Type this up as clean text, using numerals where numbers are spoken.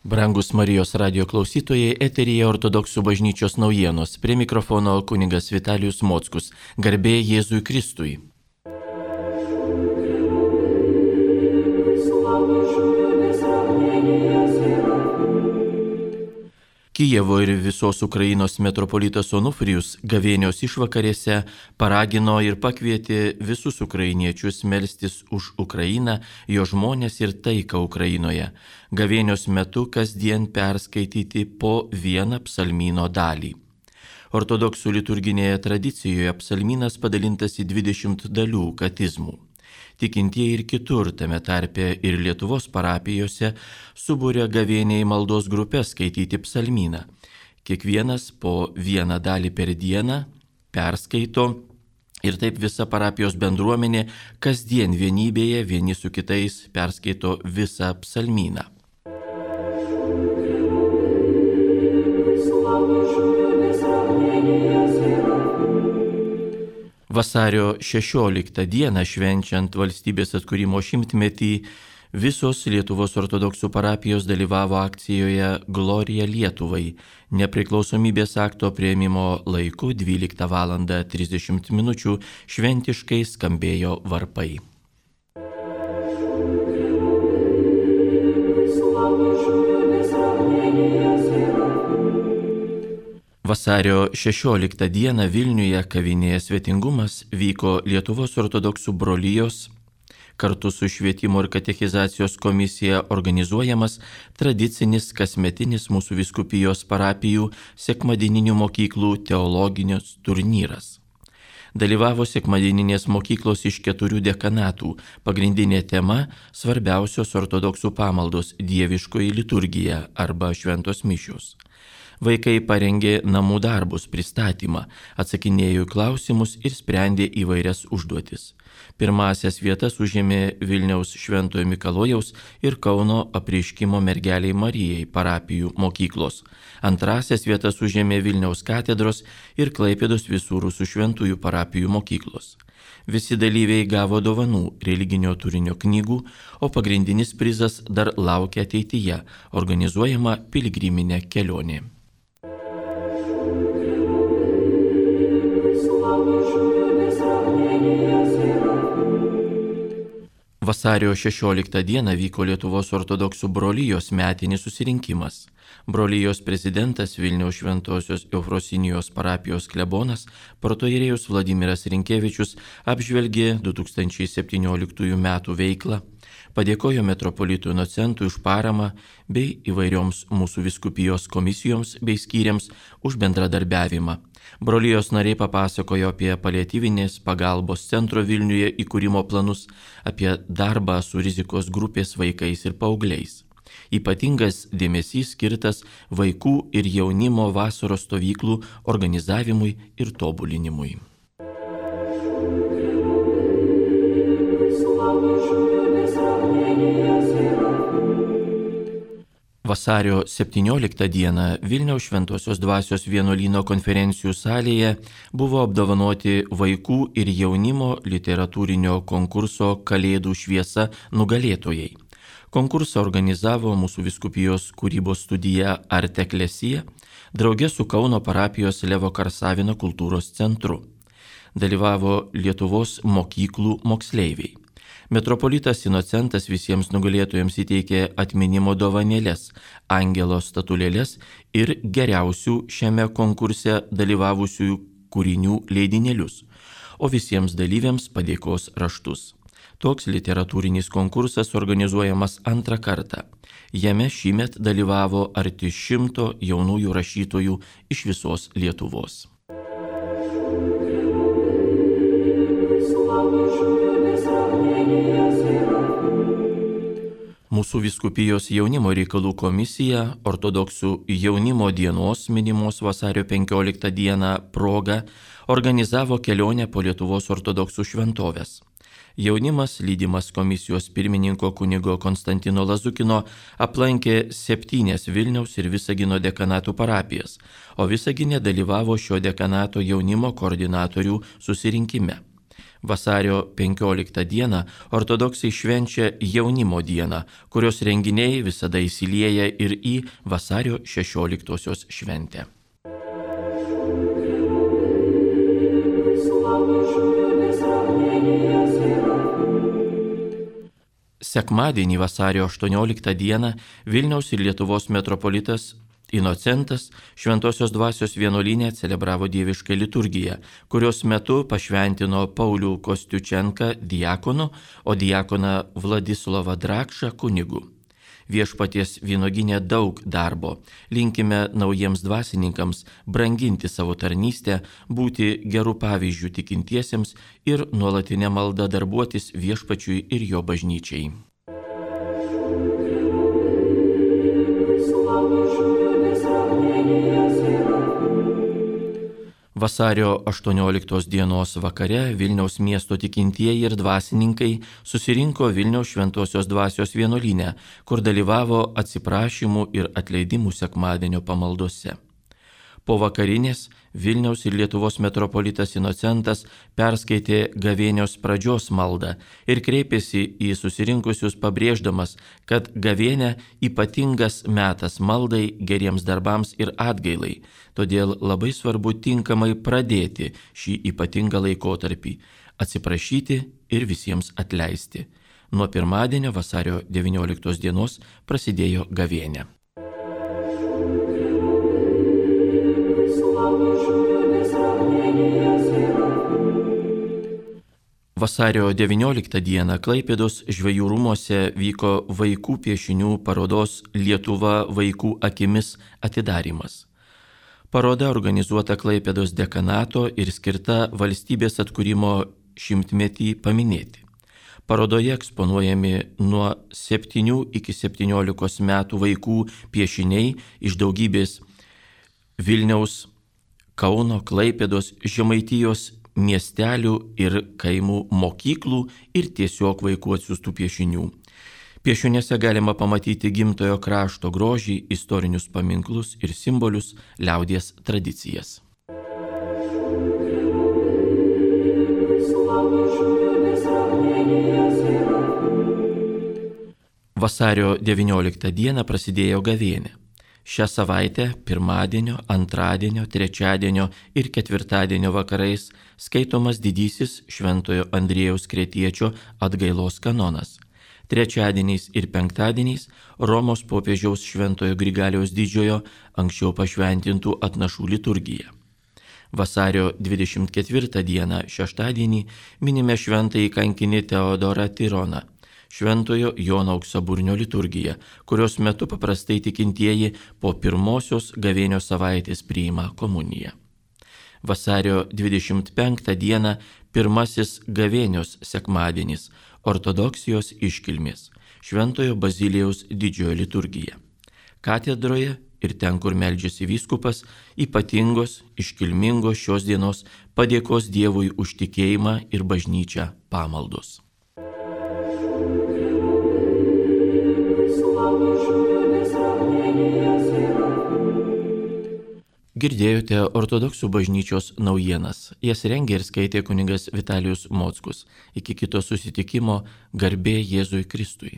Brangus Marijos radijo klausytojai, eteryje Ortodoksų bažnyčios naujienos. Prie mikrofono kunigas Vitalijus Mockus. Garbė Jėzui Kristui. Kijevo ir visos Ukrainos metropolitas Onufrijus gavėnios išvakarėse paragino ir pakvietė visus ukrainiečius melstis už Ukrainą, jo žmonės ir taiką Ukrainoje. Gavėnios metu kasdien perskaityti po vieną psalmyno dalį. Ortodoksų liturginėje tradicijoje psalmynas padalintas į 20 dalių katizmų. Tikintieji ir kitur, tame tarpe ir Lietuvos parapijose, subūrė gavėniai maldos grupės skaityti psalmyną. Kiekvienas po vieną dalį per dieną perskaito ir taip visa parapijos bendruomenė kasdien vienybėje vieni su kitais perskaito visą psalmyną. Vasario 16 dieną švenčiant valstybės atkūrimo 100-metį visos Lietuvos ortodoksų parapijos dalyvavo akcijoje Glorija Lietuvai. Nepriklausomybės akto priėmimo laiku 12:30 min. Šventiškai skambėjo varpai. Vasario 16 dieną Vilniuje kavinėje Svetingumas vyko Lietuvos ortodoksų brolijos kartu su Švietimo ir katechizacijos komisija organizuojamas tradicinis kasmetinis mūsų vyskupijos parapijų sekmadieninių mokyklų teologinis turnyras. Dalyvavo sekmadieninės mokyklos iš 4 dekanatų. Pagrindinė tema – svarbiausios ortodoksų pamaldos dieviškoji liturgija arba šventos mišios. Vaikai parengė namų darbus, pristatymą, atsakinėjo į klausimus ir sprendė įvairias užduotis. Pirmąsias vietas užėmė Vilniaus Šventojo Mikalojaus ir Kauno Apreiškimo Mergelei Marijai parapijų mokyklos. Antrąsias vietas užėmė Vilniaus katedros ir Klaipėdos Visų Rusų Šventųjų parapijų mokyklos. Visi dalyviai gavo dovanų, religinio turinio knygų, o pagrindinis prizas dar laukia ateityje – organizuojama piligriminė kelionė. Vasario 16 dieną vyko Lietuvos ortodoksų brolijos metinis susirinkimas. Brolijos prezidentas Vilniaus Šventosios Eufrosinijos parapijos klebonas protoierėjus Vladimiras Rinkevičius apžvelgė 2017 metų veiklą, padėkojo metropolitui Inocentui už paramą bei įvairioms mūsų vyskupijos komisijoms bei skyriams už bendradarbiavimą. Brolijos nariai papasakojo apie paliatyvinės pagalbos centro Vilniuje įkūrimo planus, apie darbą su rizikos grupės vaikais ir paaugliais. Ypatingas dėmesys skirtas vaikų ir jaunimo vasaros stovyklų organizavimui ir tobulinimui. Vasario 17 dieną Vilniaus Šventosios Dvasios vienuolyno konferencijų salėje buvo apdovanoti vaikų ir jaunimo literatūrinio konkurso Kalėdų šviesa nugalėtojai. Konkursą organizavo mūsų vyskupijos kūrybos studija Arte Ecclesia drauge su Kauno parapijos Levo Karsavino kultūros centru. Dalyvavo Lietuvos mokyklų moksleiviai. Metropolitas Inocentas visiems nugalėtojams įteikė atminimo dovanėles, angelo statulėles ir geriausių šiame konkurse dalyvavusių kūrinių leidinėlius, o visiems dalyviams padėkos raštus. Toks literatūrinis konkursas organizuojamas antrą kartą. Jame šįmet dalyvavo arti 100 jaunųjų rašytojų iš visos Lietuvos. Mūsų vyskupijos jaunimo reikalų komisija ortodoksų jaunimo dienos minimos vasario 15 dieną proga organizavo kelionę po Lietuvos ortodoksų šventoves. Jaunimas, lydimas komisijos pirmininko kunigo Konstantino Lazukino, aplankė 7 Vilniaus ir Visagino dekanatų parapijas, o Visagine dalyvavo šio dekanato jaunimo koordinatorių susirinkime. Vasario 15 dieną ortodoksai švenčia jaunimo dieną, kurios renginiai visada įsilieja ir į vasario 16 šventę. Sekmadienį vasario 18 dieną Vilniaus ir Lietuvos metropolitas Inocentas Šventosios dvasios vienuolyne celebravo dievišką liturgiją, kurios metu pašventino Paulių Kostiučenką diakonu, o diakoną Vladislavą Drakšą kunigu. Viešpaties vynuogyne daug darbo. Linkime naujiems dvasininkams branginti savo tarnystę, būti gerų pavyzdžių tikintiesiems ir nuolatinę maldą darbuotis viešpačiui ir jo bažnyčiai. Vasario 18 dienos vakare Vilniaus miesto tikintieji ir dvasininkai susirinko Vilniaus Šventosios dvasios vienuolyne, kur dalyvavo atsiprašymų ir atleidimų sekmadienio pamaldose. Po vakarinės Vilniaus ir Lietuvos metropolitas Inocentas perskaitė gavėnios pradžios maldą ir kreipėsi į susirinkusius pabrėždamas, kad gavėnia ypatingas metas maldai, geriems darbams ir atgailai, todėl labai svarbu tinkamai pradėti šį ypatingą laikotarpį, atsiprašyti ir visiems atleisti. Nuo pirmadienio vasario 19 dienos prasidėjo gavėnia. Vasario 19 dieną Klaipėdos žvejų rūmuose vyko vaikų piešinių parodos Lietuva vaikų akimis atidarymas. Paroda organizuota Klaipėdos dekanato ir skirta valstybės atkūrimo 100-metį paminėti. Parodoje eksponuojami nuo 7 iki 17 metų vaikų piešiniai iš daugybės Vilniaus, Kauno, Klaipėdos, Žemaitijos miestelių ir kaimų mokyklų ir tiesiog vaikų atsiųstų piešinių. Piešiniuose galima pamatyti gimtojo krašto grožį, istorinius paminklus ir simbolius, liaudies tradicijas. Vasario 19 dieną prasidėjo gavėnia. Šią savaitę pirmadienio, antradienio, trečiadienio ir ketvirtadienio vakarais skaitomas didysis Šventojo Andriejaus Kretiečio atgailos kanonas. Trečiadieniais ir penktadieniais Romos popiežiaus Šventojo Grigaliaus Didžiojo anksčiau pašventintų atnašų liturgija. Vasario 24 dieną šeštadienį minime šventąjį kankinį Teodorą Tironą, Šventojo Jono Auksaburnio liturgija, kurios metu paprastai tikintieji po pirmosios gavėnios savaitės priima komuniją. Vasario 25 dieną pirmasis gavėnios sekmadienis, ortodoksijos iškilmės, Šventojo Bazilijaus didžiojo liturgija. Katedroje ir ten, kur meldžiasi vyskupas, ypatingos, iškilmingos šios dienos padėkos Dievui už tikėjimą ir bažnyčią pamaldos. Girdėjote ortodoksų bažnyčios naujienas. Jas rengė ir skaitė kunigas Vitalijus Mockus. Iki kito susitikimo, garbė Jėzui Kristui.